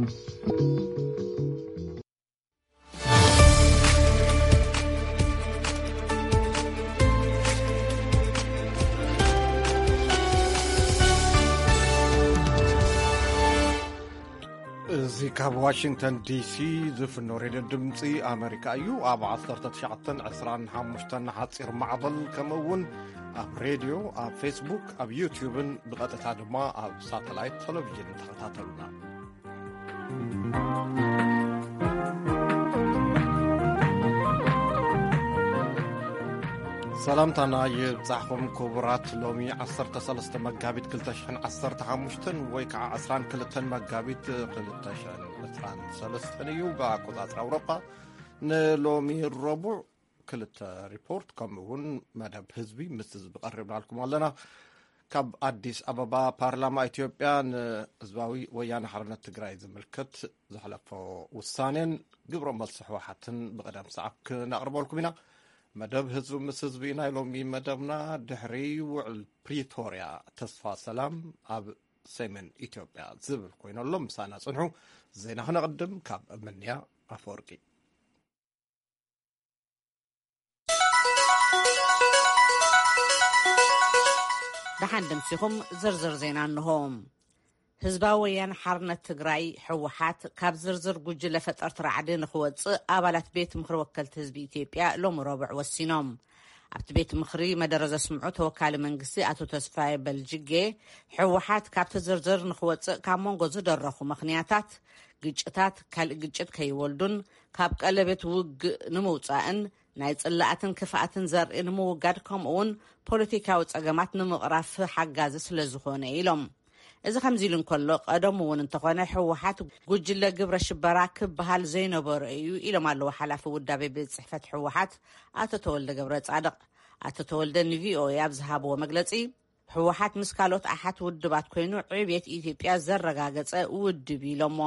እዚ ካብ ዋሽንግተን ዲሲ ዝፍኖ ሬድዮ ድምፂ ኣመሪካ እዩ። ኣብ ዓሰርተ ትሽዓተን ዕስራን ሓሙሽተን ሓፂር ማዕበል፣ ከምኡ እውን ኣብ ሬድዮ፣ ኣብ ፌስቡክ፣ ኣብ ዩትዩብን ብቐጥታ ድማ ኣብ ሳተላይት ቴሌቪዥን ተኸታተሉና። ሰላምታና ይብጻሕኩም ክቡራት። ሎሚ ዓሰርተ ሰለስተ መጋቢት ክልተ ሽሕን ዓሰርተ ሓሙሽተን ወይ ከዓ ዕስራን ክልተን መጋቢት ክልተ ሽሕን ዕስራን ሰለስተን እዩ ብኣቆጻጽራ ኣውሮጳ። ንሎሚ ረቡዕ ክልተ ሪፖርት ከምኡ እውን መደብ ህዝቢ ምስ ህዝቢ ቀሪብናልኩም ኣለና። ካብ ኣዲስ ኣበባ፣ ፓርላማ ኢትዮጵያ ንህዝባዊ ወያነ ሓርነት ትግራይ ዝምልከት ዘሕለፎ ውሳኔን ግብረ መልሲ ህወሓትን ብቐደም ሰዓብ ክነቕርበልኩም ኢና። መደብ ህዝቢ ምስ ህዝቢ ናይ ሎሚ መደብና ድሕሪ ውዕል ፕሪቶርያ ተስፋ ሰላም ኣብ ሰሜን ኢትዮጵያ ዝብል ኮይኑ ኣሎ። ምሳና ጽንሑ። ዜና ክነቕድም ካብ ምንያ ኣፈወርቂ። ደሓን ደምሲኹም ዝርዝር ዜና እንሆ። ህዝባዊ ወያነ ሓርነት ትግራይ፣ ህወሓት፣ ካብ ዝርዝር ጉጅለ ፈጠርቲ ራዕዲ ንኽወፅእ ኣባላት ቤት ምኽሪ ወከልቲ ህዝቢ ኢትዮጵያ ሎሚ ረቡዕ ወሲኖም። ኣብቲ ቤት ምኽሪ መደረ ዘስምዑ ተወካሊ መንግስቲ ኣቶ ተስፋዬ በልጅጌ፣ ህወሓት ካብቲ ዝርዝር ንኽወፅእ ካብ መንጎ ዝደረኹ ምኽንያታት፣ ግጭታት ካልእ ግጭት ከይወልዱን ካብ ቀለቤት ውግእ ንምውፃእን ናይ ጽላኣትን ክፍኣትን ዘርኢ ንምውጋድ፣ ከምኡ እውን ፖለቲካዊ ጸገማት ንምቕራፍ ሓጋዚ ስለ ዝኾነ ኢሎም። እዚ ከምዚ ኢሉ እንከሎ፣ ቀደሙ እውን እንተኾነ ህወሓት ጉጅለ ግብረ ሽበራ ክበሃል ዘይነበሮ እዩ ኢሎም ኣለዉ ሓላፊ ውዳቤ ቤት ጽሕፈት ህወሓት ኣቶ ተወልደ ገብረ ጻድቕ። ኣቶ ተወልደ ንቪኦኤ ኣብ ዝሃብዎ መግለጺ፣ ህወሓት ምስ ካልኦት ኣሓት ውድባት ኮይኑ ዕብየት ኢትዮጵያ ዘረጋገጸ ውድብ ኢሎሞ።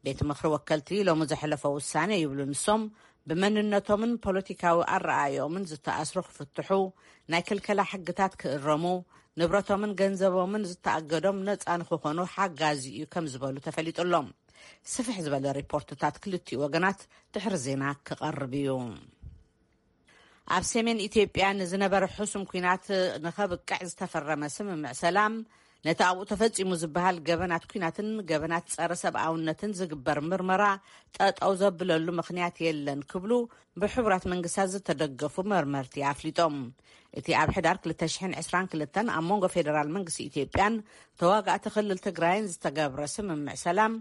ቤት ምኽሪ ወከልቲ ሎሚ ዘሕለፎ ውሳኔ ይብሉ ንሶም፣ ብመንነቶምን ፖለቲካዊ ኣረኣእዮምን ዝተኣስሩ ክፍትሑ፣ ናይ ክልከላ ሕግታት ክእረሙ፣ ንብረቶምን ገንዘቦምን ዝተኣገዶም ነጻ ንክኾኑ ሓጋዚ እዩ ከም ዝበሉ ተፈሊጡ ኣሎ። ስፍሕ ዝበለ ሪፖርትታት ክልቲኡ ወገናት ድሕሪ ዜና ክቐርብ እዩ። ኣብ ሰሜን ኢትዮጵያ ንዝነበረ ሕሱም ኲናት ንኸብቅዕ ዝተፈረመ ስምምዕ ሰላም፣ ነቲ ኣብኡ ተፈጺሙ ዝበሃል ገበናት ኲናትን ገበናት ጸረ ሰብኣውነትን ዝግበር ምርመራ ጠጠው ዘብለሉ ምኽንያት የለን ክብሉ ብሕቡራት መንግስታት ዝተደገፉ መርመርቲ ኣፍሊጦም። እቲ ኣብ ሕዳር ክልተ ሽሕን ዕስራን ክልተን ኣብ መንጎ ፌደራል መንግስቲ ኢትዮጵያን ተዋጋእቲ ክልል ትግራይን ዝተገብረ ስምምዕ ሰላም፣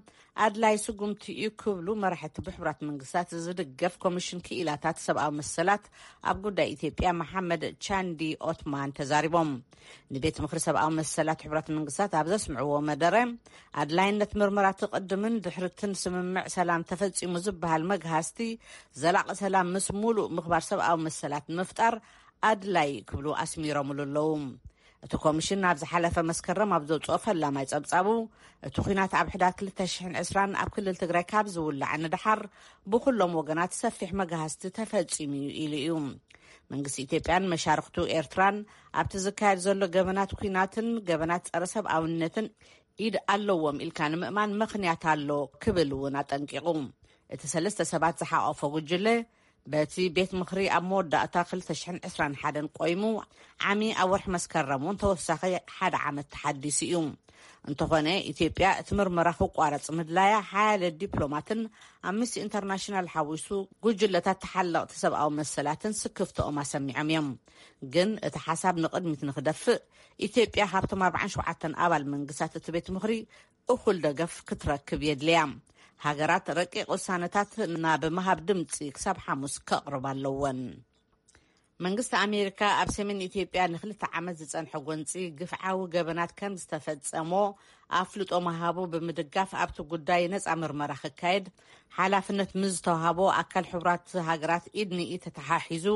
ኣድላይ ስጉምቲ እዩ ክብሉ መራሕቲ ብሕቡራት መንግስታት ዝድገፍ ኮሚሽን ክኢላታት ሰብኣዊ መሰላት ኣብ ጉዳይ ኢትዮጵያ መሓመድ ቻንዲ ኦትማን ተዛሪቦም። ንቤት ምኽሪ ሰብኣዊ መሰላት ሕቡራት መንግስታት ኣብ ዘስምዕዎ መደረ፣ ኣድላይነት ምርመራ ትቕድምን ድሕርትን ስምምዕ ሰላም ተፈጺሙ ዝበሃል መግሃስቲ ዘላቒ ሰላም ምስ ሙሉእ ምኽባር ሰብኣዊ መሰላት ንምፍጣር ኣድላይ ክብሉ ኣስሚሮምሉ ኣለዉ። እቲ ኮሚሽን ኣብ ዝሓለፈ መስከረም ኣብ ዘውፅኦ ፈላማይ ጸብጻቡ፣ እቲ ኲናት ኣብ ሕዳር ክልተ ሽሕን ዕስራን ኣብ ክልል ትግራይ ካብ ዝውላዕ ንደሓር ብኩሎም ወገናት ሰፊሕ መጋህስቲ ተፈጺሙ እዩ ኢሉ እዩ። መንግስቲ ኢትዮጵያን መሻርክቱ ኤርትራን ኣብቲ ዝካየድ ዘሎ ገበናት ኲናትን ገበናት ጸረ ሰብኣውነትን ኢድ ኣለዎም ኢልካ ንምእማን ምኽንያት ኣሎ ክብል እውን ኣጠንቂቑ። እቲ ሰለስተ ሰባት ዝሓቆፎ ጉጅለ በቲ ቤት ምኽሪ ኣብ መወዳእታ ክልተ ሽሕን ዕስራን ሓደን ቆይሙ፣ ዓሚ ኣብ ወርሒ መስከረም እውን ተወሳኺ ሓደ ዓመት ተሓዲሱ እዩ። እንተኾነ፣ ኢትዮጵያ እቲ ምርመራ ክቋረጽ ምድላያ ሓያለ ዲፕሎማትን ኣምነስቲ ኢንተርናሽናል ሓዊሱ ጉጅለታት ተሓለቕቲ ሰብኣዊ መሰላትን ስክፍትኦም ኣሰሚዖም እዮም። ግን እቲ ሓሳብ ንቕድሚት ንክደፍእ፣ ኢትዮጵያ ካብቶም ኣርባዓን ሸውዓተን ኣባል መንግስታት እቲ ቤት ምኽሪ እኹል ደገፍ ክትረክብ የድልያ። ሃገራት ረቂቕ ውሳነታት ናብ ምሃብ ድምፂ ክሳብ ሓሙስ ከቕርባ ኣለወን። መንግስቲ ኣሜሪካ ኣብ ሰሜን ኢትዮጵያ ንክልተ ዓመት ዝጸንሐ ጎንፂ ግፍዓዊ ገበናት ከም ዝተፈጸሞ ኣፍልጦ ምሃቡ ብምድጋፍ፣ ኣብቲ ጉዳይ ነጻ ምርመራ ክካየድ ሓላፍነት ምስ ዝተዋሃቦ ኣካል ሕቡራት ሃገራት ኢድ ንኢድ ተተሓሒዙ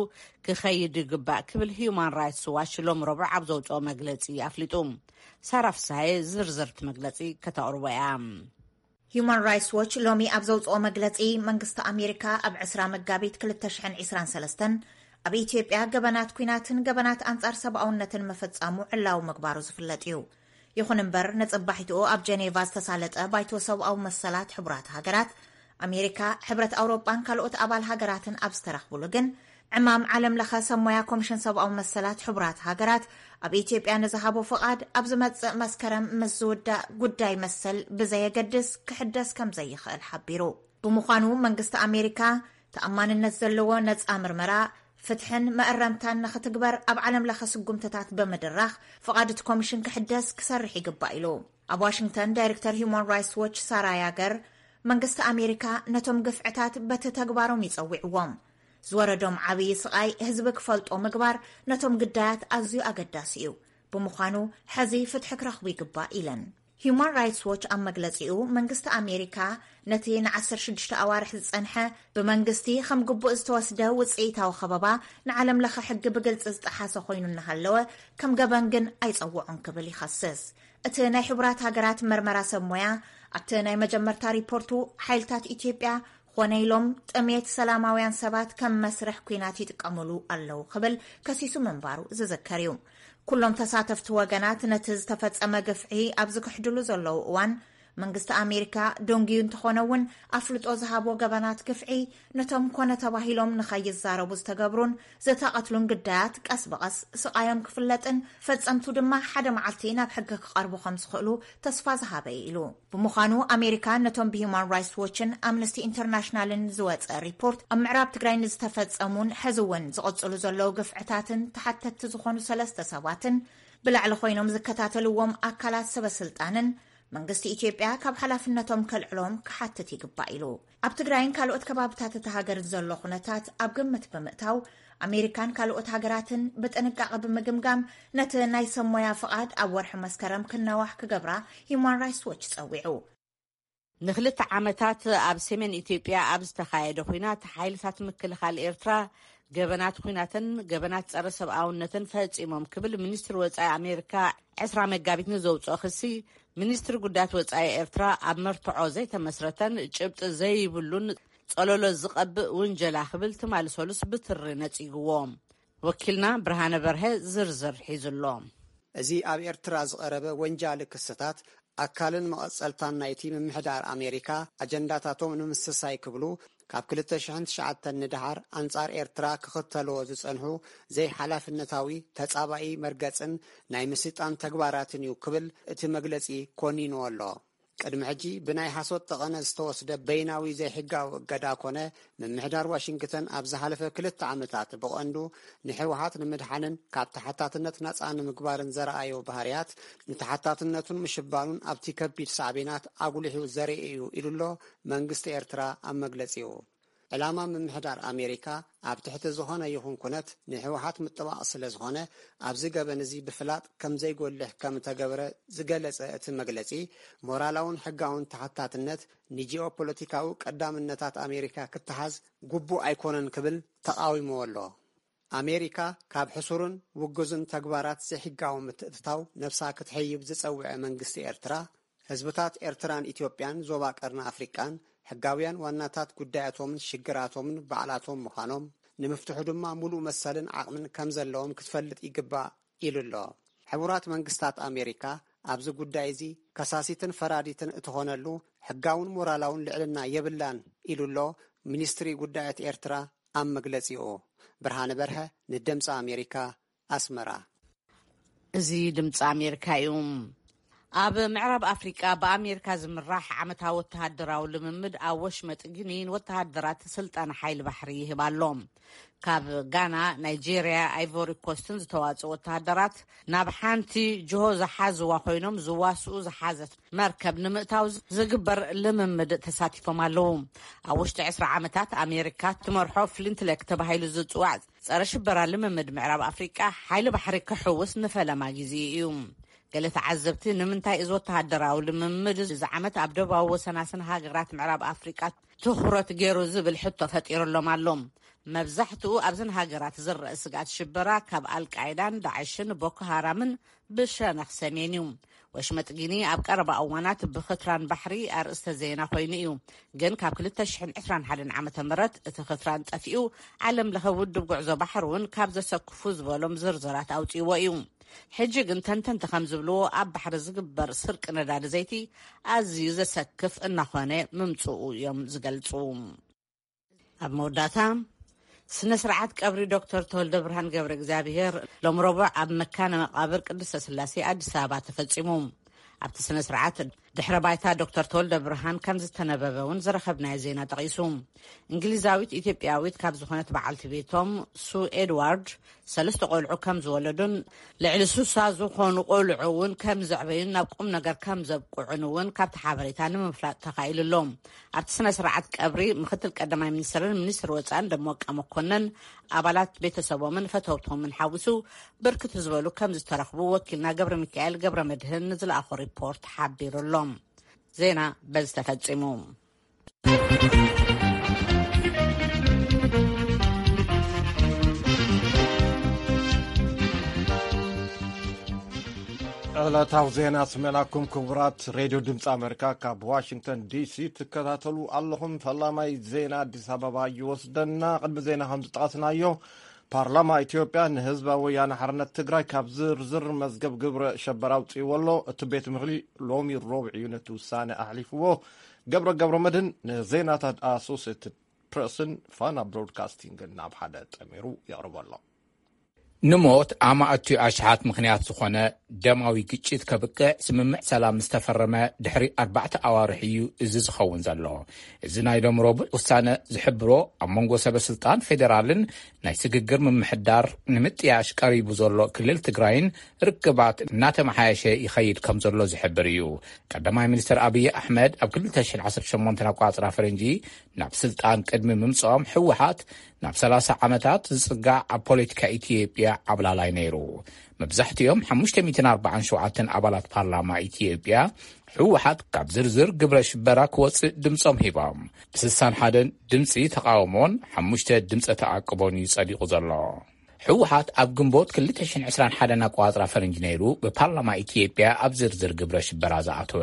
ክኸይድ ይግባእ ክብል ሂዩማን ራይትስ ዋች ሎም ረቡዕ ኣብ ዘውፅኦ መግለፂ ኣፍሊጡ። ሳራ ፍስሃየ ዝርዝርቲ መግለፂ ከተቕርቦ እያ። ሂዩማን ራይትስ ዎች ሎሚ ኣብ ዘውፅኦ መግለፂ፣ መንግስቲ ኣሜሪካ ኣብ ዕስራ መጋቢት ክልተ ሽሕን ዕስራን ሰለስተን ኣብ ኢትዮጵያ ገበናት ኲናትን ገበናት ኣንጻር ሰብኣውነትን ምፍጻሙ ዕላዊ ምግባሩ ዝፍለጥ እዩ። ይኹን እምበር፣ ነጸባሒትኡ ኣብ ጀኔቫ ዝተሳለጠ ባይቶ ሰብኣዊ መሰላት ሕቡራት ሃገራት፣ ኣሜሪካ፣ ሕብረት ኣውሮጳን ካልኦት ኣባል ሃገራትን ኣብ ዝተረኽብሉ ግን፣ ዕማም ዓለም ለኸ ሰብ ሞያ ኮሚሽን ሰብኣዊ መሰላት ሕቡራት ሃገራት ኣብ ኢትዮጵያ ንዝሃቦ ፍቓድ፣ ኣብ ዝመጽእ መስከረም ምስ ዝውዳእ ጉዳይ መሰል ብዘየገድስ ክሕደስ ከም ዘይኽእል ሓቢሩ። ብምዃኑ፣ መንግስቲ ኣሜሪካ ተኣማንነት ዘለዎ ነጻ ምርመራ፣ ፍትሕን መእረምታን ንኽትግበር ኣብ ዓለም ለኸ ስጉምትታት ብምድራኽ፣ ፍቓድ እቲ ኮሚሽን ክሕደስ ክሰርሕ ይግባእ ኢሉ። ኣብ ዋሽንግተን፣ ዳይሬክተር ሂዩማን ራይትስ ዎች ሳራ ያገር፣ መንግስቲ ኣሜሪካ ነቶም ግፍዕታት በቲ ተግባሮም ይጸዊዕዎም። ዝወረዶም ዓብዪ ስቓይ ህዝቢ ክፈልጦ ምግባር ነቶም ግዳያት ኣዝዩ ኣገዳሲ እዩ። ብምዃኑ፣ ሕዚ ፍትሒ ክረኽቡ ይግባእ ኢለን። ሂዩማን ራይትስ ዎች ኣብ መግለጺኡ፣ መንግስቲ ኣሜሪካ ነቲ ን ዓሰርተ ሽዱሽተ ኣዋርሕ ዝጸንሐ፣ ብመንግስቲ ከም ግቡእ ዝተወስደ ውጽኢታዊ ከበባ፣ ንዓለም ለኸ ሕጊ ብግልጺ ዝጠሓሰ ኮይኑ እናሃለወ፣ ከም ገበን ግን ኣይጸውዖን ክብል ይኸስስ። እቲ ናይ ሕቡራት ሃገራት መርመራ ሰብ ሞያ፣ ኣብቲ ናይ መጀመርታ ሪፖርቱ፣ ሓይልታት ኢትዮጵያ ኾነ ኢሎም ጥሜት ሰላማውያን ሰባት ከም መስርሕ ኲናት ይጥቀምሉ ኣለዉ ክብል ከሲሱ ምንባሩ ዝዝከር እዩ። ኩሎም ተሳተፍቲ ወገናት ነቲ ዝተፈጸመ ግፍዒ ኣብ ዝክሕድሉ ዘለዉ እዋን፣ መንግስቲ ኣሜሪካ ደንጉዩ እንተኾነ እውን፣ ኣፍልጦ ዝሃቦ ገበናት ግፍዒ ነቶም ኮነ ተባሂሎም ንኸይዛረቡ ዝተገብሩን ዝተቐትሉን ግዳያት ቀስ ብቐስ ስቓዮም ክፍለጥን፣ ፈጸምቱ ድማ ሓደ መዓልቲ ናብ ሕጊ ክቐርቡ ከም ዝኽእሉ ተስፋ ዝሃበ እዩ ኢሉ። ብምዃኑ፣ ኣሜሪካ ነቶም ብሂዩማን ራይትስ ዎችን ኣምነስቲ ኢንተርናሽናልን ዝወጸ ሪፖርት፣ ኣብ ምዕራብ ትግራይ ንዝተፈጸሙን ሕዚ እውን ዝቕጽሉ ዘለዉ ግፍዕታትን ተሓተትቲ ዝኾኑ ሰለስተ ሰባትን፣ ብላዕሊ ኮይኖም ዝከታተልዎም ኣካላት ሰበ ስልጣንን መንግስቲ ኢትዮጵያ ካብ ሓላፍነቶም ከልዕሎም ክሓትት ይግባእ ኢሉ። ኣብ ትግራይን ካልኦት ከባብታት እታ ሃገርን ዘሎ ኩነታት ኣብ ግምት ብምእታው፣ ኣሜሪካን ካልኦት ሃገራትን ብጥንቃቐ ብምግምጋም፣ ነቲ ናይ ሰብ ሞያ ፍቓድ ኣብ ወርሒ መስከረም ክናዋሕ ክገብራ ሂዩማን ራይትስ ዎች ጸዊዑ። ንክልተ ዓመታት ኣብ ሰሜን ኢትዮጵያ ኣብ ዝተኻየደ ኲናት፣ ሓይልታት ምክልኻል ኤርትራ ገበናት ኲናትን ገበናት ጸረ ሰብኣውነትን ፈጺሞም ክብል ሚኒስትሪ ወጻኢ ኣሜሪካ ዕስራ መጋቢት ንዘውጽኦ ክሲ፣ ሚኒስትሪ ጉዳያት ወጻኢ ኤርትራ ኣብ መርትዖ ዘይተመስረተን ጭብጢ ዘይብሉን ጸለሎ ዝቐብእ ውንጀላ ክብል ትማሊ ሰሉስ ብትሪ ነጺግዎ። ወኪልና ብርሃነ በርሀ ዝርዝር ሒዙ ኣሎ። እዚ ኣብ ኤርትራ ዝቐረበ ወንጃሊ ክስታት፣ ኣካልን መቐጸልታን ናይቲ ምምሕዳር ኣሜሪካ ኣጀንዳታቶም ንምስሳይ ክብሉ፣ ካብ ክልተ ሽሕን ትሽዓተን ንደሓር ኣንጻር ኤርትራ ክኽተልዎ ዝጸንሑ ዘይሓላፍነታዊ፣ ተጻባኢ መርገጽን ናይ ምስይጣን ተግባራትን እዩ ክብል እቲ መግለጺ ኮኒንዎ ኣሎ። ቅድሚ ሕጂ ብናይ ሓሶት ጠቐነ ዝተወስደ በይናዊ ዘይሕጋዊ እገዳ ኮነ፣ ምምሕዳር ዋሽንግተን ኣብ ዝሓለፈ ክልተ ዓመታት ብቐንዱ ንህወሓት ንምድሓንን ካብ ተሓታትነት ናጻ ንምግባርን ዘረኣዮ ባህርያት፣ ንተሓታትነቱን ምሽባኑን ኣብቲ ከቢድ ሳዕቤናት ኣጉሊሑ ዘርኢ እዩ ኢሉ ኣሎ መንግስቲ ኤርትራ ኣብ መግለጺኡ። ዕላማ ምምሕዳር ኣሜሪካ ኣብ ትሕቲ ዝኾነ ይኹን ኩነት ንህወሓት ምጥባቕ ስለ ዝኾነ፣ ኣብዚ ገበን እዚ ብፍላጥ ከም ዘይጎልሕ ከም እተገብረ ዝገለጸ እቲ መግለጺ፣ ሞራላውን ሕጋውን ተሓታትነት ንጂኦፖለቲካዊ ቀዳምነታት ኣሜሪካ ክተሓዝ ግቡእ ኣይኮነን ክብል ተቓዊምዎ ኣሎ። ኣሜሪካ ካብ ሕሱርን ውጉዝን ተግባራት ዘይሕጋዊ ምትእትታው ነብሳ ክትሕይብ ዝጸውዐ መንግስቲ ኤርትራ፣ ህዝብታት ኤርትራን ኢትዮጵያን ዞባ ቀርኒ ኣፍሪቃን ሕጋውያን ዋናታት ጉዳያቶምን ሽግራቶምን ባዕላቶም ምዃኖም፣ ንምፍትሑ ድማ ሙሉእ መሰልን ዓቕምን ከም ዘለዎም ክትፈልጥ ይግባእ ኢሉ ኣሎ። ሕቡራት መንግስታት ኣሜሪካ ኣብዚ ጉዳይ እዚ ከሳሲትን ፈራዲትን እትኾነሉ ሕጋውን ሞራላውን ልዕልና የብላን ኢሉ ኣሎ ሚኒስትሪ ጉዳያት ኤርትራ ኣብ መግለጺኡ። ብርሃነ በርሀ ንድምፂ ኣሜሪካ ኣስመራ። እዚ ድምፂ ኣሜሪካ እዩ። ኣብ ምዕራብ ኣፍሪቃ ብኣሜሪካ ዝምራሕ ዓመታዊ ወተሃደራዊ ልምምድ ኣብ ወሽመጥ ጊኒ ንወተሃደራት ስልጠና ሓይሊ ባሕሪ ይህብ ኣሎ። ካብ ጋና፣ ናይጄርያ፣ ኣይቮሪ ኮስትን ዝተዋፅኡ ወተሃደራት ናብ ሓንቲ ጅሆ ዝሓዝዋ ኮይኖም ዝዋስኡ ዝሓዘት መርከብ ንምእታው ዝግበር ልምምድ ተሳቲፎም ኣለዉ። ኣብ ውሽጢ ዕስራ ዓመታት ኣሜሪካ ትመርሖ ፍሊንትሌክ ተባሂሉ ዝፅዋዕ ጸረ ሽበራ ልምምድ ምዕራብ ኣፍሪቃ ሓይሊ ባሕሪ ክሕውስ ንፈለማ ግዜ እዩ። ገለ ተዓዘብቲ፣ ንምንታይ እዚ ወተሃደራዊ ልምምድ እዚ ዓመት ኣብ ደቡባዊ ወሰናስን ሃገራት ምዕራብ ኣፍሪቃ ትኹረት ገይሩ ዝብል ሕቶ ፈጢሩሎም ኣሎ። መብዛሕትኡ ኣብዘን ሃገራት ዝረአ ስግኣት ሽበራ ካብ ኣልቃይዳን ዳዕሽን ቦኮ ሃራምን ብሸነኽ ሰሜን እዩ። ወሽመጥ ጊኒ ኣብ ቀረባ እዋናት ብኽትራን ባሕሪ ኣርእስተ ዜና ኮይኑ እዩ። ግን ካብ ክልተ ሽሕን ዕስራን ሓደን ዓመተ ምህረት እቲ ኽትራን ጠፊኡ፣ ዓለም ለኸ ውድብ ጉዕዞ ባሕሪ እውን ካብ ዘሰክፉ ዝበሎም ዝርዝራት ኣውፅእዎ እዩ። ሕጂ ግን ተንተንቲ ከም ዝብልዎ፣ ኣብ ባሕሪ ዝግበር ስርቂ ነዳዲ ዘይቲ ኣዝዩ ዘሰክፍ እናኾነ ምምጽኡ እዮም ዝገልጹ። ኣብ መወዳእታ፣ ስነ ስርዓት ቀብሪ ዶክተር ተወልደ ብርሃን ገብረ እግዚኣብሔር ሎም ረቡዕ ኣብ መካነ መቃብር ቅድስተ ስላሴ ኣዲስ ኣበባ ተፈጺሙ። ኣብቲ ስነ ስርዓት ድሕረ ባይታ ዶክተር ተወልደ ብርሃን ከም ዝተነበበ እውን ዝረኸብናዮ ዜና ጠቒሱ። እንግሊዛዊት ኢትዮጵያዊት ካብ ዝኾነት በዓልቲ ቤቶም ሱ ኤድዋርድ ሰለስተ ቆልዑ ከም ዝወለዱን ልዕሊ ሱሳ ዝኾኑ ቆልዑ እውን ከም ዘዕበዩን ናብ ቁም ነገር ከም ዘብቅዑን እውን ካብቲ ሓበሬታ ንምፍላጥ ተኻኢሉ ኣሎ። ኣብቲ ስነ ስርዓት ቀብሪ ምክትል ቀዳማይ ሚኒስትርን ሚኒስትር ወፃን ደመቀ መኮንን፣ ኣባላት ቤተሰቦምን ፈተውቶምን ሓዊሱ ብርክት ዝበሉ ከም ዝተረኽቡ ወኪልና ገብረ ሚካኤል ገብረ መድህን ንዝለኣኾ ሪፖርት ሓቢሩ ኣሎ። ዜና በዚ ተፈጺሙ። ዕለታዊ ዜና ስሜናኩም ክቡራት ሬድዮ ድምፂ ኣሜሪካ ካብ ዋሽንግተን ዲሲ ትከታተሉ ኣለኹም። ፈላማይ ዜና ኣዲስ ኣበባ ይወስደና። ቅድሚ ዜና ከም ዝጠቐስናዮ፣ ፓርላማ ኢትዮጵያ ንህዝባዊ ወያነ ሓርነት ትግራይ ካብ ዝርዝር መዝገብ ግብረ ሸበራ ኣውፅእዎ ኣሎ። እቲ ቤት ምኽሪ ሎሚ ረቡዕ እዩ ነቲ ውሳነ ኣሕሊፍዎ። ገብረ ገብረ መድህን ንዜናታት ኣሶሴትድ ፕረስን ፋና ብሮድካስቲንግን ናብ ሓደ ጠሚሩ የቕርቦ ኣሎ። ንሞት ኣማእትኡ ኣሽሓት ምኽንያት ዝኾነ ደማዊ ግጭት ከብቅዕ ስምምዕ ሰላም ዝተፈረመ ድሕሪ ኣርባዕተ ኣዋርሕ እዩ እዚ ዝኸውን ዘሎ። እዚ ናይ ሎም ረቡዕ ውሳነ ዝሕብሮ፣ ኣብ መንጎ ሰበ ስልጣን ፌዴራልን ናይ ስግግር ምምሕዳር ንምጥያሽ ቀሪቡ ዘሎ ክልል ትግራይን ርክባት እናተመሓየሸ ይኸይድ ከም ዘሎ ዝሕብር እዩ። ቀዳማይ ሚኒስትር ኣብይ ኣሕመድ ኣብ ክልተ ሽሕን ዓሰርተ ሸሞንተን ኣቆጻጽራ ፈረንጂ ናብ ስልጣን ቅድሚ ምምጽኦም፣ ህወሓት ናብ ሰላሳ ዓመታት ዝጽጋዕ ኣብ ፖለቲካ ኢትዮጵያ ዓብላላይ ነይሩ። መብዛሕትኦም ሓሙሽተ ሚእትን ኣርባዓን ሸውዓተን ኣባላት ፓርላማ ኢትዮጵያ፣ ህወሓት ካብ ዝርዝር ግብረ ሽበራ ክወጽእ ድምጾም ሂቦም። ብ ስሳን ሓደን ድምጺ ተቓውሞን ሓሙሽተ ድምጸ ተኣቅቦን እዩ ጸዲቑ ዘሎ። ህወሓት ኣብ ግንቦት ክልተ ሽሕን ዕስራን ሓደን ኣቆጻጽራ ፈረንጂ ነይሩ ብፓርላማ ኢትዮጵያ ኣብ ዝርዝር ግብረ ሽበራ ዝኣተወ።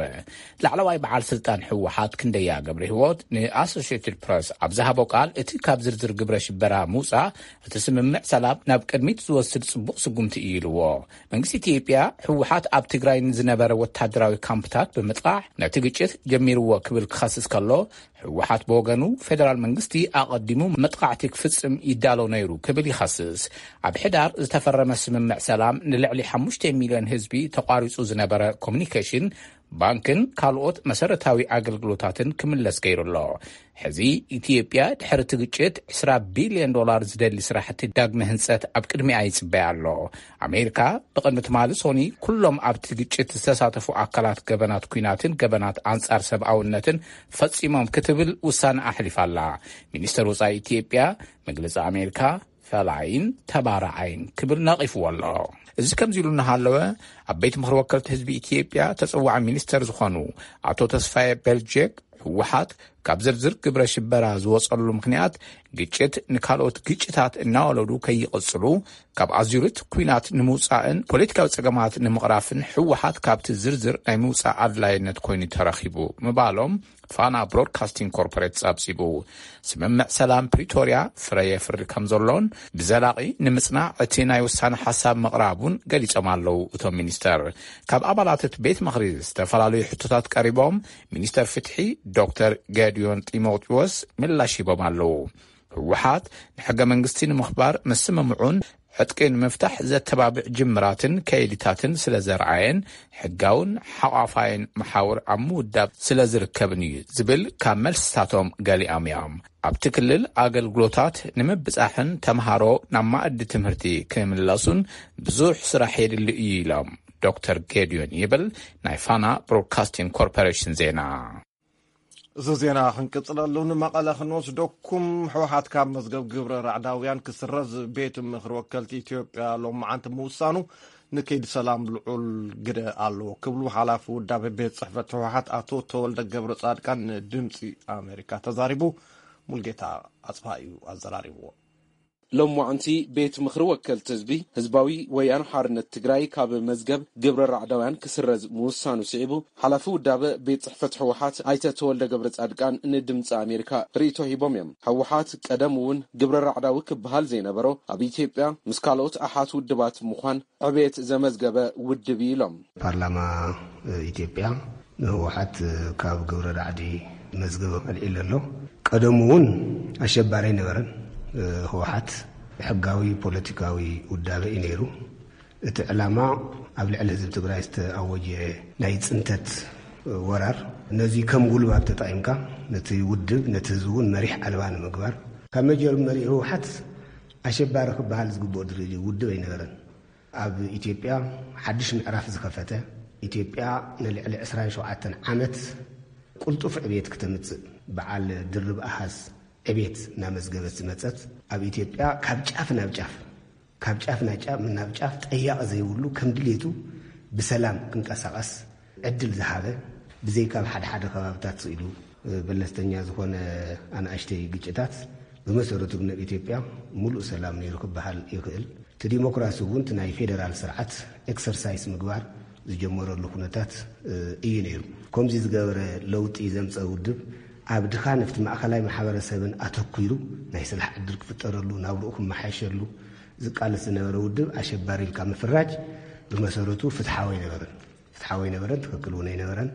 ላዕለዋይ በዓል ስልጣን ህወሓት ክንደያ ገብረ ህይወት ንኣሶሽየትድ ፕረስ ኣብ ዝሃቦ ቃል፣ እቲ ካብ ዝርዝር ግብረ ሽበራ ምውጻእ እቲ ስምምዕ ሰላም ናብ ቅድሚት ዝወስድ ጽቡቕ ስጉምቲ እዩ ኢልዎ። መንግስቲ ኢትዮጵያ፣ ህወሓት ኣብ ትግራይ ንዝነበረ ወታደራዊ ካምፕታት ብምጥቃዕ ነቲ ግጭት ጀሚርዎ ክብል ክኸስስ ከሎ፣ ህወሓት ብወገኑ፣ ፌደራል መንግስቲ ኣቐዲሙ መጥቃዕቲ ክፍጽም ይዳሎ ነይሩ ክብል ይኸስስ። ኣብ ሕዳር ዝተፈረመ ስምምዕ ሰላም ንልዕሊ ሓሙሽተ ሚልዮን ህዝቢ ተቋሪጹ ዝነበረ ኮሙኒኬሽን፣ ባንክን ካልኦት መሰረታዊ ኣገልግሎታትን ክምለስ ገይሩ ኣሎ። ሕዚ ኢትዮጵያ ድሕሪ እቲ ግጭት ዕስራ ቢልዮን ዶላር ዝደሊ ስራሕቲ ዳግመ ህንጸት ኣብ ቅድሚኣ ይጽበያ ኣሎ። ኣሜሪካ ብቕድሚ ትማሊ ሶኒ ኩሎም ኣብቲ ግጭት ዝተሳተፉ ኣካላት ገበናት ኲናትን ገበናት ኣንጻር ሰብኣውነትን ፈጺሞም ክትብል ውሳነ ኣሕሊፋ ኣላ። ሚኒስተር ወጻኢ ኢትዮጵያ መግለጺ ኣሜሪካ ፈላይን ተባራዓይን ክብል ነቒፍዎ ኣሎ። እዚ ከምዚ ኢሉ እናሃለወ፣ ኣብ ቤት ምኽሪ ወከልቲ ህዝቢ ኢትዮጵያ ተጸዋዒ ሚኒስተር ዝኾኑ ኣቶ ተስፋዬ በልጀክ፣ ህወሓት ካብ ዝርዝር ግብረ ሽበራ ዝወጸሉ ምኽንያት፣ ግጭት ንካልኦት ግጭታት እናወለዱ ከይቕጽሉ፣ ካብ ኣዙሪት ኲናት ንምውጻእን ፖለቲካዊ ጸገማት ንምቕራፍን ህወሓት ካብቲ ዝርዝር ናይ ምውጻእ ኣድላይነት ኮይኑ ተረኺቡ ምባሎም ፋና ብሮድካስቲንግ ኮርፖሬት ጸብጺቡ። ስምምዕ ሰላም ፕሪቶርያ ፍረ የፍሪ ከም ዘሎን ብዘላቒ ንምጽናዕ እቲ ናይ ውሳነ ሓሳብ ምቕራቡን ገሊጾም ኣለዉ እቶም ሚኒስተር። ካብ ኣባላት እቲ ቤት ምኽሪ ዝተፈላለዩ ሕቶታት ቀሪቦም፣ ሚኒስተር ፍትሒ ዶክተር ገዲዮን ጢሞቴዎስ ምላሽ ሂቦም ኣለዉ። ህወሓት ንሕገ መንግስቲ ንምኽባር ምስምምዑን ዕጥቂ ንምፍታሕ ዘተባብዕ ጅምራትን ከይድታትን ስለ ዘርኣየን፣ ሕጋውን ሓቋፋይን መሓውር ኣብ ምውዳብ ስለ ዝርከብን እዩ ዝብል ካብ መልስታቶም ገሊኦም እዮም። ኣብቲ ክልል ኣገልግሎታት ንምብጻሕን ተምሃሮ ናብ ማእዲ ትምህርቲ ክምለሱን ብዙሕ ስራሕ የድሊ እዩ ኢሎም ዶክተር ጌድዮን፣ ይብል ናይ ፋና ብሮድካስቲንግ ኮርፖሬሽን ዜና። እዚ ዜና ክንቅጽለሉ ንመቐለ ክንወስደኩም። ህወሓት ካብ መዝገብ ግብረ ራዕዳውያን ክስረዝ ቤት ምኽሪ ወከልቲ ኢትዮጵያ ሎማዓንቲ ምውሳኑ ንከይዲ ሰላም ልዑል ግደ ኣለዎ ክብሉ ሓላፊ ውዳቤ ቤት ጽሕፈት ህወሓት ኣቶ ተወልደ ገብረ ጻድቃን ንድምፂ ኣሜሪካ ተዛሪቡ። ሙልጌታ ኣጽፋ እዩ ኣዘራሪብዎ። ሎማዕንቲ ቤት ምኽሪ ወከልቲ ህዝቢ ህዝባዊ ወያነ ሓርነት ትግራይ ካብ መዝገብ ግብረ ራዕዳውያን ክስረዝ ምውሳኑ ስዒቡ፣ ሓላፊ ውዳበ ቤት ጽሕፈት ህወሓት ኣይተ ተወልደ ገብረ ጻድቃን ንድምፂ ኣሜሪካ ርእይቶ ሂቦም እዮም። ህወሓት ቀደም እውን ግብረ ራዕዳዊ ክበሃል ዘይነበሮ፣ ኣብ ኢትዮጵያ ምስ ካልኦት ኣሓት ውድባት ምዃን ዕቤት ዘመዝገበ ውድብ እዩ ኢሎም። ፓርላማ ኢትዮጵያ ንህወሓት ካብ ግብረ ራዕዲ መዝገብ ኣልዒሉ ኣሎ። ቀደሙ እውን ኣሸባሪ ኣይነበረን። ህወሓት ሕጋዊ ፖለቲካዊ ውዳበ እዩ ነይሩ። እቲ ዕላማ ኣብ ልዕሊ ህዝቢ ትግራይ ዝተኣወጀ ናይ ፅንተት ወራር፣ ነዚ ከም ጉልባብ ተጠቂምካ ነቲ ውድብ፣ ነቲ ህዝቢ እውን መሪሕ ኣልባ ንምግባር፣ ካብ መጀመሪኡ ህወሓት ኣሸባሪ ክበሃል ዝግብኦ ድርጅት ውድብ ኣይነበረን። ኣብ ኢትዮጵያ ሓድሽ ምዕራፍ ዝኸፈተ፣ ኢትዮጵያ ንልዕሊ ዕስራን ሸውዓተን ዓመት ቁልጡፍ ዕብየት ክተምጽእ፣ በዓል ድርብ ኣሃዝ ዕብየት እናመዝገበት ዝመጸት፣ ኣብ ኢትዮጵያ ካብ ጫፍ ናብ ጫፍ፣ ካብ ጫፍ ናብ ጫፍ፣ ናብ ጫፍ ጠያቂ ዘይብሉ፣ ከም ድሌቱ ብሰላም ክንቀሳቐስ ዕድል ዝሃበ፣ ብዘይካ ኣብ ሓደ ሓደ ከባብታት ስኢሉ በለስተኛ ዝኾነ ኣናእሽተይ ግጭታት፣ ብመሰረቱ ግን ኣብ ኢትዮጵያ ሙሉእ ሰላም ነይሩ ክበሃል ይኽእል። እቲ ዲሞክራሲ እውን እቲ ናይ ፌደራል ስርዓት ኤክሰርሳይስ ምግባር ዝጀመረሉ ኩነታት እዩ ነይሩ። ከምዚ ዝገበረ ለውጢ ዘምፀ ውድብ ኣብ ድኻ ነፍቲ ማእኸላይ ማሕበረሰብን ኣተኲሩ ናይ ስራሕ ዕድል ክፍጠረሉ፣ ናብርኡ ክመሓሸሉ ዝቃለስ ዝነበረ ውድብ ኣሸባሪ ኢልካ ምፍራጅ ብመሰረቱ ፍትሓዊ ኣይነበረን። ፍትሓዊ ኣይነበረን፣ ትኽክል እውን ኣይነበረን።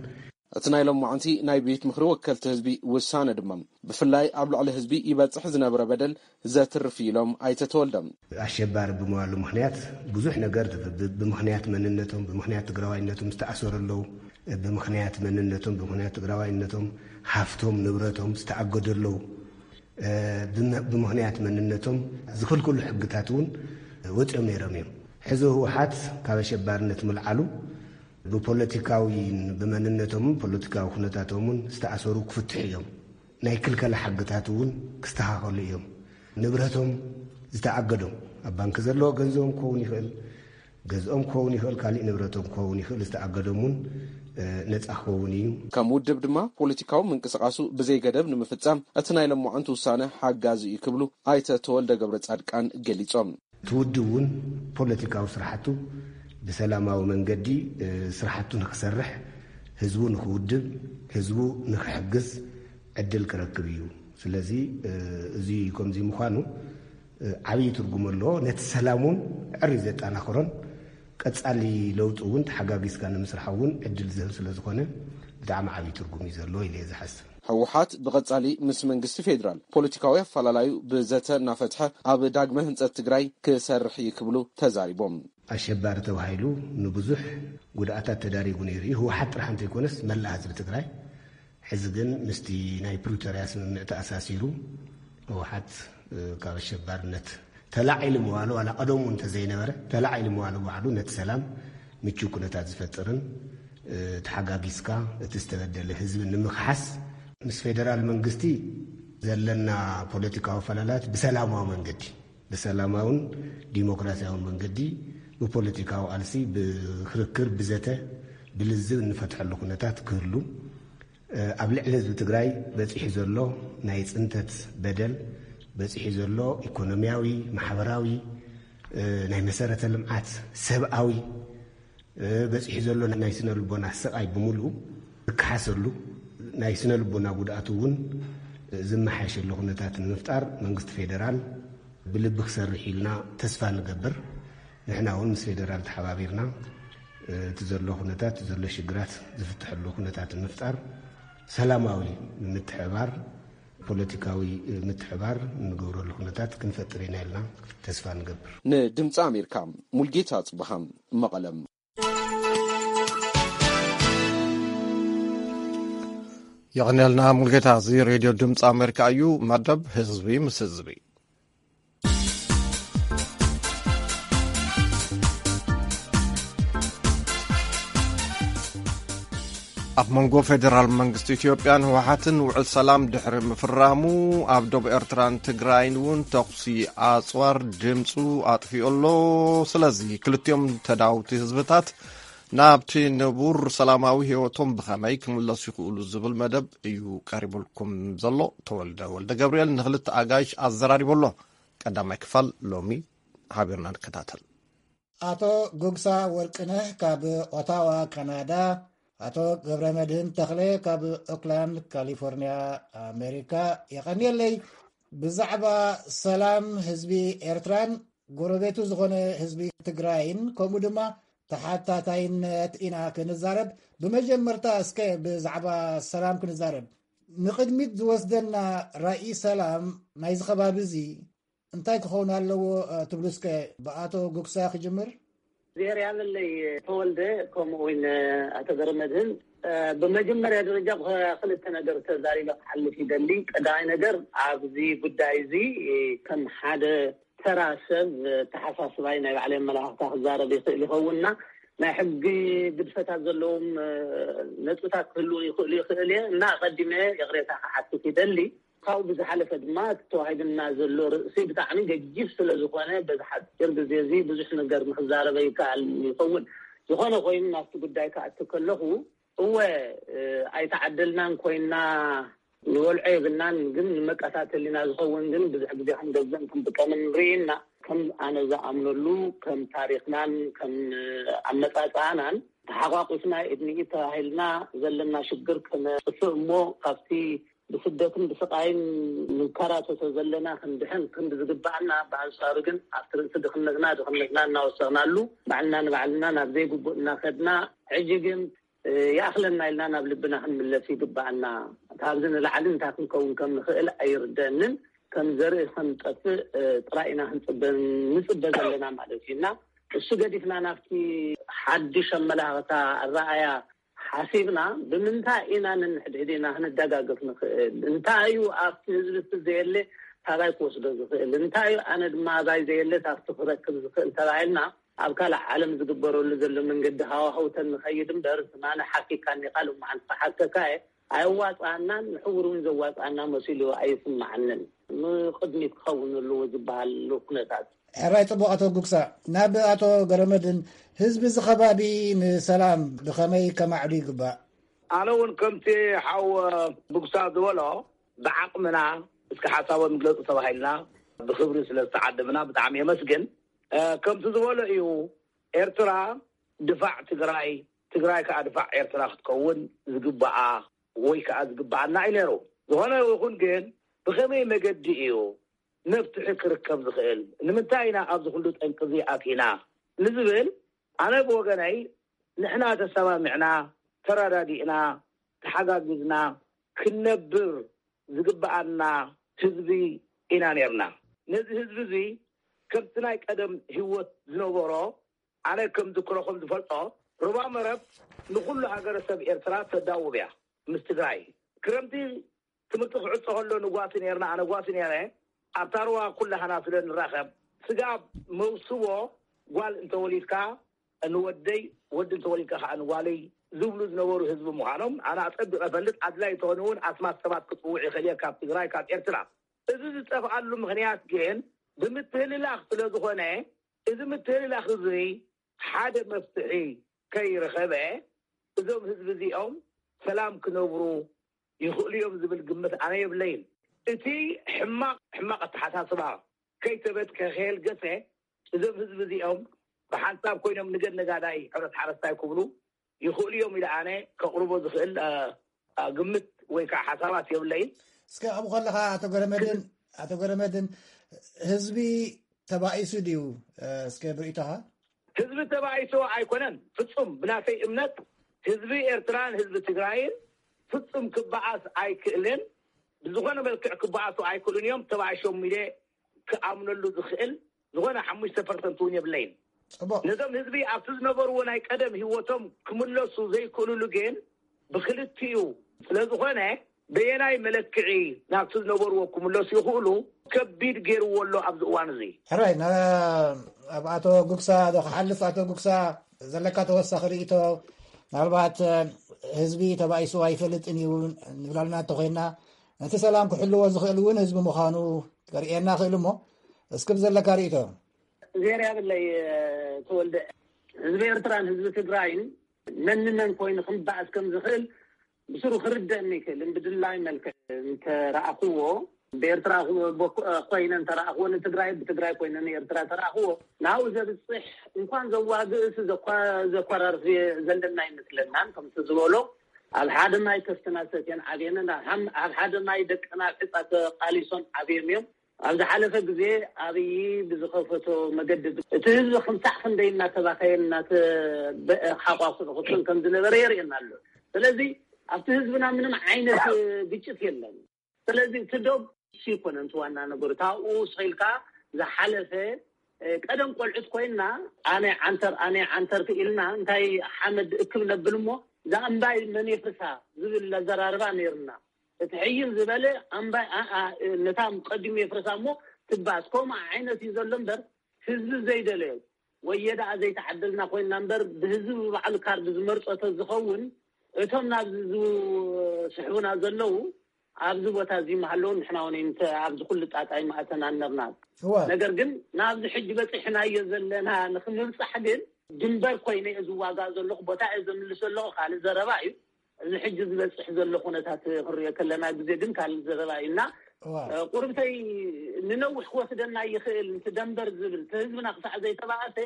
እቲ ናይ ሎማዕንቲ ናይ ቤት ምኽሪ ወከልቲ ህዝቢ ውሳነ ድማ ብፍላይ ኣብ ልዕሊ ህዝቢ ይበፅሕ ዝነበረ በደል ዘትርፍ ኢሎም ኣይተ ተወልደ። ኣሸባሪ ብምባሉ ምኽንያት ብዙሕ ነገር ተፍብብ፣ ብምኽንያት መንነቶም፣ ብምኽንያት ትግራዋይነቶም ዝተኣሰሩ ኣለዉ። ብምኽንያት መንነቶም፣ ብምኽንያት ትግራዋይነቶም ሃፍቶም ንብረቶም ዝተኣገዱ ኣለዉ። ብመ-፣ ብምኽንያት መንነቶም ዝኽልክሉ ሕግታት እውን ወፂኦም ነይሮም እዮም። ሕዚ ህወሓት ካብ ኣሸባርነት ምልዓሉ ብፖለቲካዊ፣ ብመንነቶምን ፖለቲካዊ ኩነታቶምን ዝተኣሰሩ ክፍትሑ እዮም። ናይ ክልከላ ሕግታት እውን ክስተኻኸሉ እዮም። ንብረቶም ዝተኣገዶም፣ ኣብ ባንክ ዘለዎ ገንዘቦም ክኸውን ይኽእል፣ ገዝኦም ክኸውን ይኽእል፣ ካሊእ ንብረቶም ክኸውን ይኽእል፣ ዝተኣገዶም እውን ነፃ ክኸውን እዩ። ከም ውድብ ድማ ፖለቲካዊ ምንቅስቃሱ ብዘይ ገደብ ንምፍፃም እቲ ናይ ሎማዕንቲ ውሳነ ሓጋዚ እዩ ክብሉ ኣይተ ተወልደ ገብረ ጻድቃን ገሊፆም። እቲ ውድብ እውን ፖለቲካዊ ስራሕቱ ብሰላማዊ መንገዲ ስራሕቱ ንክሰርሕ፣ ህዝቡ ንክውድብ፣ ህዝቡ ንክሕግዝ ዕድል ክረክብ እዩ። ስለዚ እዚ ከምዚ ምዃኑ ዓብዪ ትርጉም ኣለዎ። ነቲ ሰላም እውን ዕሪ ዘጠናኽሮን ቀፃሊ ለውጢ እውን ተሓጋጊዝካ ንምስራሕ እውን ዕድል ዝህብ ስለ ዝኾነ ብጣዕሚ ዓብዪ ትርጉም እዩ ዘለዎ ኢለ እየ ዝሓስብ። ህወሓት ብቐጻሊ ምስ መንግስቲ ፌዴራል ፖለቲካዊ ኣፈላላዩ ብዘተ እናፈትሐ ኣብ ዳግመ ህንጸት ትግራይ ክሰርሕ እዩ ክብሉ ተዛሪቦም። ኣሸባሪ ተባሂሉ ንብዙሕ ጉድኣታት ተዳሪጉ ነይሩ እዩ። ህወሓት ጥራሕ እንተይኮነስ መላእ ህዝቢ ትግራይ። ሕዚ ግን ምስቲ ናይ ፕሪቶርያ ስምምዕ ተኣሳሲሩ ህወሓት ካብ ኣሸባርነት ተላዒሉ ምባሉ፣ ዋላ ቀደሙ እንተዘይነበረ፣ ተላዒሉ ምባሉ ባዕሉ ነቲ ሰላም ምቹው ኩነታት ዝፈጥርን ተሓጋጊዝካ እቲ ዝተበደለ ህዝቢ ንምኽሓስ፣ ምስ ፌደራል መንግስቲ ዘለና ፖለቲካዊ ፈላላት ብሰላማዊ መንገዲ፣ ብሰላማውን ዲሞክራሲያውን መንገዲ፣ ብፖለቲካዊ ቃልሲ፣ ብክርክር፣ ብዘተ፣ ብልዝብ እንፈትሐሉ ኩነታት ክህሉ፣ ኣብ ልዕሊ ህዝቢ ትግራይ በፂሑ ዘሎ ናይ ፅንተት በደል፣ በፂሑ ዘሎ ኢኮኖሚያዊ፣ ማሕበራዊ፣ ናይ መሰረተ ልምዓት፣ ሰብኣዊ፣ በፂሑ ዘሎ ናይ ስነ ልቦና ስቓይ ብምሉኡ ዝከሓሰሉ፣ ናይ ስነ ልቦና ጉድኣቱ እውን ዝመሓየሸሉ ኩነታት ንምፍጣር መንግስቲ ፌደራል ብልቢ ክሰርሕ ኢልና ተስፋ ንገብር። ንሕና እውን ምስ ፌደራል ተሓባቢርና እቲ ዘሎ ኩነታት፣ እቲ ዘሎ ሽግራት ዝፍትሐሉ ኩነታት ንምፍጣር ሰላማዊ ምትሕብባር፣ ፖለቲካዊ ምትሕብባር እንገብረሉ ኩነታት ክንፈጥር ኢና ኢልና ተስፋ ንገብር። ንድምፂ ኣሜሪካ ሙልጌታ ጽብሃ መቐለም። የቐንየልና ሙልጌታ። እዚ ሬድዮ ድምፂ ኣሜሪካ እዩ። መደብ ህዝቢ ምስ ህዝቢ። ኣብ መንጎ ፌደራል መንግስቲ ኢትዮጵያን ህወሓትን ውዕል ሰላም ድሕሪ ምፍራሙ፣ ኣብ ዶብ ኤርትራን ትግራይን እውን ተኹሲ ኣጽዋር ድምፁ ኣጥፊኡ ኣሎ። ስለዚ ክልቲኦም ተዳውቲ ህዝብታት ናብቲ ንቡር ሰላማዊ ህይወቶም ብኸመይ ክምለሱ ይኽእሉ ዝብል መደብ እዩ ቀሪቡልኩም ዘሎ። ተወልደ ወልደ ገብርኤል ንክልተ ኣጋይሽ ኣዘራሪቡ ኣሎ። ቀዳማይ ክፋል ሎሚ ሓቢርና ንከታተል። ኣቶ ጉግሳ ወርቅነህ ካብ ኦታዋ ካናዳ፣ ኣቶ ገብረ መድህን ተኽለ ካብ ኦክላንድ ካሊፎርኒያ ኣሜሪካ። የቐንየለይ። ብዛዕባ ሰላም ህዝቢ ኤርትራን ጎረቤቱ ዝኾነ ህዝቢ ትግራይን ከምኡ ድማ ተሓታታይነት ኢና ክንዛረብ። ብመጀመርታ እስከ ብዛዕባ ሰላም ክንዛረብ። ንቕድሚት ዝወስደና ራኢ ሰላም ናይዚ ከባቢ እዚ እንታይ ክኸውን ኣለዎ ትብሉ? እስከ ብኣቶ ጉግሳ ክጅምር። ዜር ያለለይ ተወልደ ከምኡ እውን ኣቶ ገረመድህን፣ ብመጀመርያ ደረጃ ክልተ ነገር ተዛሪበ ክሓልፍ ይደሊ። ቀዳማይ ነገር ኣብዚ ጉዳይ እዚ ከም ሓደ ተራ ሰብ ተሓሳስባይ ናይ ባዕለይ ኣመላኽታ ክዛረብ ይኽእል ይኸውንና ናይ ሕጊ ግድፈታት ዘለዎም ነጥብታት ክህልዉ ይኽእሉ ይኽእል እየ እና ኣቐዲመ ይቕሬታ ክሓትት ይደሊ። ካብኡ ብዝሓለፈ ድማ እቲ ተዋሂብና ዘሎ ርእሲ ብጣዕሚ ገጂፍ ስለ ዝኾነ በዚ ሓፂር ግዜ እዚ ብዙሕ ነገር ንክዛረበ ይከኣል ይኸውን። ዝኾነ ኮይኑ ናብቲ ጉዳይ ክኣቱ ከለኹ እወ ኣይተዓደልናን ኮይና ንወልዖ የብልናን፣ ግን ንመቀታተሊና ዝኸውን ግን ብዙሕ ግዜ ክንገዝእን ክንጥቀምን ንርኢ ኢና። ከም ኣነ ዝኣምነሉ ከም ታሪኽናን ከም ኣመፃፅኣናን ተሓቋቂፍና ኢድንኢድ ተባሂልና ዘለና ሽግር ክነጥፍእ እሞ ካብቲ ብስደትን ብስቃይን ንከራተቶ ዘለና ክንድሕን ክንዲ ዝግባኣና፣ ብኣንፃሩ ግን ኣብቲ ርእሲ ድኽነትና ድኽነትና እናወሰኽናሉ ባዕልና ንባዕልና ናብ ዘይግቡእ እናኸድና ሕጂ ግን ይኣኽለና ኢልና ናብ ልብና ክንምለስ ይግባኣና። ካብዚ ንላዕሊ እንታይ ክንከውን ከም ንኽእል ኣይርደንን። ከም ዘርኢ ከም ጠፍእ ጥራይ ኢና ክንፅበ ንፅበ ዘለና ማለት እዩ እና እሱ ገዲፍና ናብቲ ሓድሽ ኣመላኽታ ኣረኣያ ሓሲብና ብምንታይ ኢና ንንሕድሕድ ኢና ክንደጋገፍ ንኽእል? እንታይ እዩ ኣብቲ ህዝቢ እቲ ዘየለ ካባይ ክወስዶ ዝኽእል? እንታይ እዩ ኣነ ድማ ኣባይ ዘየለ ካብቲ ክረክብ ዝኽእል ተባሂልና ኣብ ካልእ ዓለም ዝግበረሉ ዘሎ መንገዲ ሃዋህውተን ንኸይድ እምበር ዝማነ ሓኪካኒ ካልእ መዓልቲ ክሓከካ እየ ኣየዋፅኣናን ንሕውር እውን ዘዋፅኣና መሲሉ ኣይስማዓንን። ንቕድሚት ክኸውን ኣለዎ ዝበሃል ኩነታት ሕራይ ጽቡቕ ኣቶ ጉግሳ። ናብ ኣቶ ገረመድን ህዝቢ እዚ ከባቢ ንሰላም ብኸመይ ከማዕዱ ይግባእ? ኣነ እውን ከምቲ ሓው ጉግሳ ዝበሎ ብዓቕምና እስከ ሓሳቦም ይግለጹ ተባሂልና ብኽብሪ ስለ ዝተዓደምና ብጣዕሚ የመስግን። ከምቲ ዝበሎ እዩ ኤርትራ ድፋዕ ትግራይ፣ ትግራይ ከዓ ድፋዕ ኤርትራ ክትከውን ዝግባኣ ወይ ከዓ ዝግባኣና እዩ ነይሩ። ዝኾነ ይኹን ግን ብኸመይ መገዲ እዩ መፍትሒ ክርከብ ዝኽእል? ንምንታይ ኢና ኣብዚ ኩሉ ጠንቂ እዚ ኣቲና ንዝብል ኣነ ብወገነይ ንሕና ተሰማሚዕና ተረዳዲእና ተሓጋጊዝና ክንነብር ዝግባኣና ህዝቢ ኢና ነርና። ነዚ ህዝቢ እዚ ከምቲ ናይ ቀደም ህይወት ዝነበሮ ኣነ ከም ዝክሮ ከም ዝፈልጦ ሩባ መረብ ንኩሉ ሃገረሰብ ኤርትራ ተዳውብ እያ ምስ ትግራይ። ክረምቲ ትምህርቲ ክዕጾ ከሎ ንጓሲ ነርና ኣነ ጓሲ ነረ ኣብታ ሩባ ኩላህና ስለ ንራኸብ ስጋብ መውስቦ ጓል እንተወሊድካ ንወደይ ወዲ እንተወሊድካ ከዓ ንጓለይ ዝብሉ ዝነበሩ ህዝቢ ምዃኖም ኣነ ኣጸቢቐ ፈልጥ ኣድላይ ተኾነ እውን ኣስማት ሰባት ክጽውዕ ይኽእል እየ ካብ ትግራይ ካብ ኤርትራ። እዚ ዝጠፍኣሉ ምኽንያት ግን ብምትህልላኽ ስለ ዝኾነ እዚ ምትህልላኽ እዚ ሓደ መፍትሒ ከይረኸበ እዞም ህዝቢ እዚኦም ሰላም ክነብሩ ይኽእሉ እዮም ዝብል ግምት ኣነ የብለይን። እቲ ሕማቕ ሕማቕ ኣተሓሳስባ ከይተበትከ ከየልገሰ እዞም ህዝቢ እዚኦም ብሓንሳብ ኮይኖም ንገድ ነጋዳይ ሕረስ ሓረስታይ ክብሉ ይኽእሉ እዮም ኢለ ኣነ ከቕርቦ ዝኽእል ግምት ወይ ከዓ ሓሳባት የብለይን። እስከ ኣብኡ ከለኻ ኣቶ ገረመድን ኣቶ ገረመድን ህዝቢ ተባኢሱ ድዩ? እስከ ብርእይቶኻ። ህዝቢ ተባኢሱ ኣይኮነን ፍጹም ብናተይ እምነት ህዝቢ ኤርትራን ህዝቢ ትግራይን ፍጹም ክበኣስ ኣይክእልን። ብዝኾነ መልክዕ ክበኣሱ ኣይክእሉን እዮም ተባኢሾም ኢለ ክኣምነሉ ዝኽእል ዝኾነ ሓሙሽተ ፐርሰንት እውን የብለይን። ነዞም ህዝቢ ኣብቲ ዝነበርዎ ናይ ቀደም ህይወቶም ክምለሱ ዘይክእልሉ ግን ብክልቲኡ ስለዝኾነ በየናይ መለክዒ ናብቲ ዝነበርዎ ክምለሱ ይኽእሉ ከቢድ ገይርዎ ኣሎ ኣብዚ እዋን እዚ። ሕራይ ኣብ ኣቶ ጉግሳ ዶ ክሓልፍ ኣቶ ጉግሳ ዘለካ ተወሳኺ ርእቶ ምናልባት ህዝቢ ተባኢሱ ኣይፈልጥን እዩ ንብላልና እንተኮይና ነቲ ሰላም ክሕልዎ ዝኽእል እውን ህዝቢ ምዃኑ ከርእየና ክእል እሞ እስክብ ዘለካ ርእቶ። ዜር ያብለይ ተወልደ ህዝቢ ኤርትራን ህዝቢ ትግራይን መን ንመን ኮይኑ ክምባእስ ከም ዝኽእል ብስሩ ክርደእኒ ይክእል ብድላይ መልክዕ እንተረኣኽዎ ብኤርትራ ቦ- ኮይነ እንተረኣኽዎ ንትግራይ፣ ብትግራይ ኮይነ ንኤርትራ ተረኣኽዎ፣ ናብኡ ዘብፅሕ እንኳን ዘዋግእስ ዘኳ- ዘኳራርፍ ዘለና ኣይመስለናን። ከምቲ ዝበሎ ኣብ ሓደ ማይ ከፍትና ሰትየን ዓብየንን፣ ኣብ ሓም- ኣብ ሓደ ማይ ደቅና ኣብ ዕፃ ተቃሊሶም ዓብዮም እዮም። ኣብ ዝሓለፈ ግዜ ኣብይ ብዝኸፈቶ መገዲ እቲ ህዝቢ ክንሳዕ ክንደይ እናተባኸየ እናተበ- ሓቋፍሩ ክፍን ከም ዝነበረ የርእየና ኣሎ። ስለዚ ኣብቲ ህዝብና ምንም ዓይነት ግጭት የለን። ስለዚ እቲ ዶብ እሱ ይኮነ እቲ ዋና ነገሩ። ካብኡ ስቕ ኢልካ ዝሓለፈ፣ እ፣ ቀደም ቆልዑት ኮይና ኣነ ዓንተር፣ ኣነ ዓንተር ኢልና እንታይ ሓመድ እክብ ነብል እሞ እዛ እምባይ መን የፍርሳ ዝብል ኣዘራርባ ነይርና። እቲ ሕይል ዝበለ ኣምባይ፣ ኣ፣ ኣ፣ ነታ ቀዲሙ የፍርሳ እሞ ትባስ። ከምኡ ዓይነት እዩ ዘሎ እምበር ህዝቢ ዘይደለዮ ወየ ደኣ ዘይተዓደልና ኮይንና እምበር ብህዝቢ ብባዕሉ ካርድ ዝመርጾ ተዝኸውን እቶም ናብዚ ዝስሕቡና ዘለዉ ኣብዚ ቦታ እዚ ምሃለዉ ንሕና እውን ኣይምተ- ኣብዚ ኩሉ ጣጣ ኣይምኣተናን ነርና። እወ። ነገር ግን ናብዚ ሕጂ በፂሕናዮ ዘለና ንክንብፃሕ ግን ድንበር ኮይነ እየ ዝዋጋእ ዘለኹ፣ ቦታ እየ ዘምልስ ዘለኹ ካልእ ዘረባ እዩ። እዚ ሕጂ ዝበፅሕ ዘሎ ኩነታት ክንሪኦ ከለና ግዜ ግን ካልእ ዘረባ እዩ እና እዋ። እ፣ ቁርብተይ ንነዊሕ ክወስደና ይኽእል፣ እቲ ደንበር ዝብል፣ እቲ ህዝብና ክሳዕ ዘይተባእሰ፣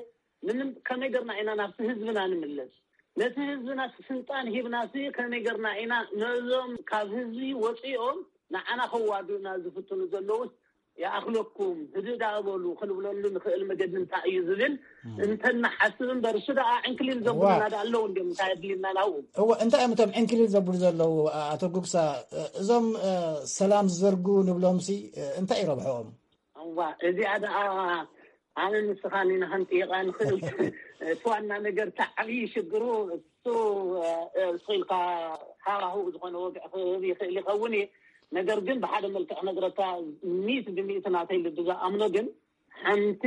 ንምን-፣ ከመይ ገርና ኢና ናብቲ ህዝብና ንምለስ? ነቲ ህዝብና ስልጣን ሂብናሲ ከመይ ገርና ኢና ነዞም ካብ ህዝቢ ወፂኦም ንዓና ከዋግኡና ዝፍትኑ ዘለውስ ይኣኽለኩም፣ ህድእ ደኣ በሉ ክንብለሉ ንኽእል መገዲ እንታይ እዩ ዝብል እም። እንተናሓስብ እምበር፣ እሱ ደኣ ዕንክሊል ዘብሉና እዋ። ደኣ ኣለዉ እንድዮም፣ እንታይ ኣድልየና ናብኡ? እወ፣ እንታይ እዮም እቶም ዕንክሊል ዘብሉ ዘለዉ፣ ኣቶ ጉግሳ? እዞም፣ እ፣ ሰላም ዝዘርጉ ንብሎምሲ፣ እ፣ እንታይ እዩ ረብሕኦም? እዋ፣ እዚኣ ደኣ ኣነ ንስኻን ኢና ክንጥይቓ ንኽእል። እቲ ዋና ነገር፣ እቲ ዓብዪ ሽግሩ እሱ፣ እ፣ ስቕ ኢልካ ሃዋህው ዝኾነ ወግዒ ክህብ ይኽእል ይኸውን እዩ። ነገር ግን ብሓደ መልክዕ ክነግረካ፣ ሚእቲ ብሚእቲ ናተይ ልቢ ዝኣምኖ ግን ሓንቲ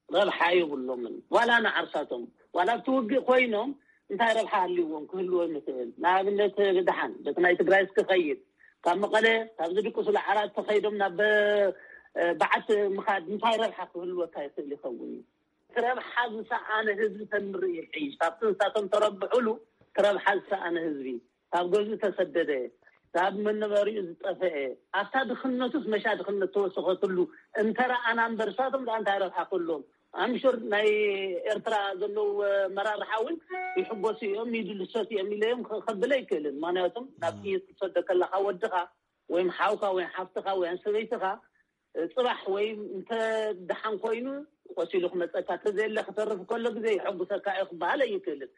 ረብሓ የብሎምን። ዋላ ንዓርሳቶም፣ ዋላ ኣብቲ ውግእ ኮይኖም እንታይ ረብሓ ሃልይዎም ክህልዎም ይኽእል? ንኣብነት ብደሓን በቲ ናይ ትግራይ እስክኸይድ፣ ካብ መቐለ ካብዚ ድቅሱሉ ዓራት ተኸይዶም ናብ፣ እ፣ በዓቲ ምኻድ እንታይ ረብሓ ክህልወካ ይኽእል ይኸውን እዩ? እቲ ረብሓ ዝሰኣነ ህዝቢ ተንርኢ ይሕይሽ። ካብቲ ንሳቶም ተረብሑሉ እቲ ረብሓ ዝሰኣነ ህዝቢ፣ ካብ ገዝኡ ተሰደደ፣ ካብ መነበሪኡ ዝጠፈአ፣ ኣብታ ድኽነቱስ መሻ ድኽነት ተወሰኸትሉ እንተረኣና እምበር፣ ንሳቶም ደኣ እንታይ ረብሓ ክህልዎም? ኣምሹር ናይ ኤርትራ ዘለዉ መራርሓ እውን ይሕጎሱ እዮም፣ ይድልሰቱ እዮም ኢለ እዮም ከ-፣ ከብል ኣይክእልን። ምኽንያቱም ናብ እም። ጥይት ክትሰዶ ከለኻ ወድኻ ወይም ሓውካ ወይም ሓፍትኻ ወይም ሰበይትኻ፣ እ፣ ጽባሕ ወይም እንተ ደሓን ኮይኑ ቆሲሉ ክመጸካ፣ እንተዘየለ ክተርፍ ከሎ ግዜ ይሕጉሰካ እዩ ክበሃል ኣይክእልን።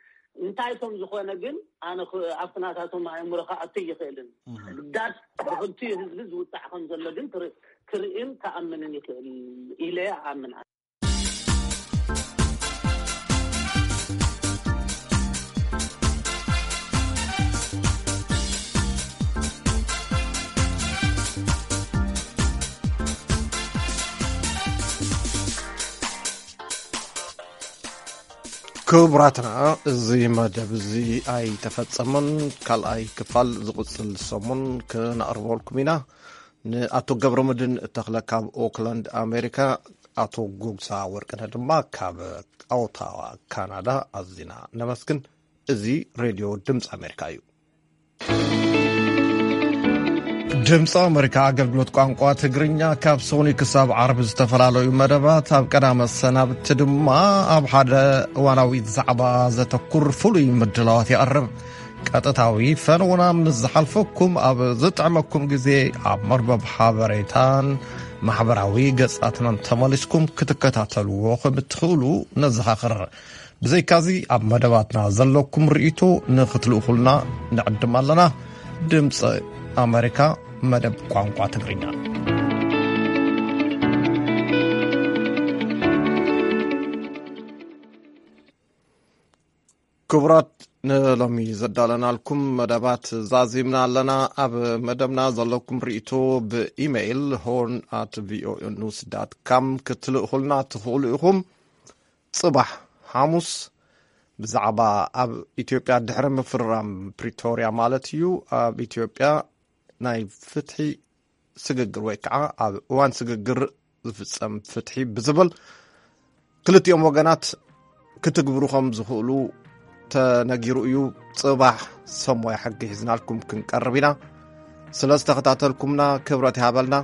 እንታይ ከም ዝኾነ ግን ኣነ ኽ-፣ ኣብቲ ናታቶም ኣእምሮ ክኣቱ ኣይኽእልን። እም። ግዳስ ብኽልቲኡ ህዝቢ ዝውጻዕ ከም ዘሎ ግን ክር-፣ ክርእን ክኣምንን ይኽእል ኢለ እኣምን። ክቡራትና፣ እዚ መደብ እዚ ኣይተፈጸመን። ካልኣይ ክፋል ዝቕጽል ሰሙን ክነቕርበልኩም ኢና። ንኣቶ ገብረመድህን ተኽለ ካብ ኦክላንድ ኣሜሪካ፣ ኣቶ ጉግሳ ወርቅነህ ድማ ካብ ኦታዋ ካናዳ ኣዚና ነመስግን። እዚ ሬድዮ ድምፂ ኣሜሪካ እዩ። ድምፂ ኣሜሪካ ኣገልግሎት ቋንቋ ትግርኛ ካብ ሰኑይ ክሳብ ዓርቢ ዝተፈላለዩ መደባት፣ ኣብ ቀዳመ ሰናብቲ ድማ ኣብ ሓደ እዋናዊ ዛዕባ ዘተኩር ፍሉይ ምድላዋት የቕርብ። ቀጥታዊ ፈነውና ምስ ዝሓልፈኩም፣ ኣብ ዝጥዕመኩም ግዜ ኣብ መርበብ ሓበሬታን ማሕበራዊ ገጻትናን ተመሊስኩም ክትከታተልዎ ከም እትኽእሉ ነዘኻኽር። ብዘይካዚ፣ ኣብ መደባትና ዘለኩም ርእይቶ ንኽትልእኹልና ንዕድም ኣለና። ድምፂ ኣሜሪካ፣ መደብ ቋንቋ ትግርኛ። ክቡራት፣ ንሎሚ ዘዳለናልኩም መደባት ዛዚምና ኣለና። ኣብ መደብና ዘለኩም ርእይቶ ብኢሜይል ሆርን ኣት ቪኦኤ ኒውስ ዳት ካም ክትልእኹልና ትኽእሉ ኢኹም። ጽባሕ ሓሙስ ብዛዕባ ኣብ ኢትዮጵያ ድሕሪ ምፍርራም ፕሪቶርያ ማለት እዩ፣ ኣብ ኢትዮጵያ ናይ ፍትሒ ስግግር ወይ ከዓ ኣብ እዋን ስግግር ዝፍጸም ፍትሒ ብዝብል ክልቲኦም ወገናት ክትግብሩ ከም ዝኽእሉ ተነጊሩ እዩ። ጽባሕ ሰሞያ ሕጊ ሒዝናልኩም ክንቀርብ ኢና። ስለ ዝተኸታተልኩምና ክብረት ይሃበልና።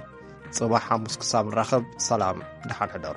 ጽባሕ ሓሙስ ክሳብ ንራኸብ፣ ሰላም፣ ደሓን ሕደሩ።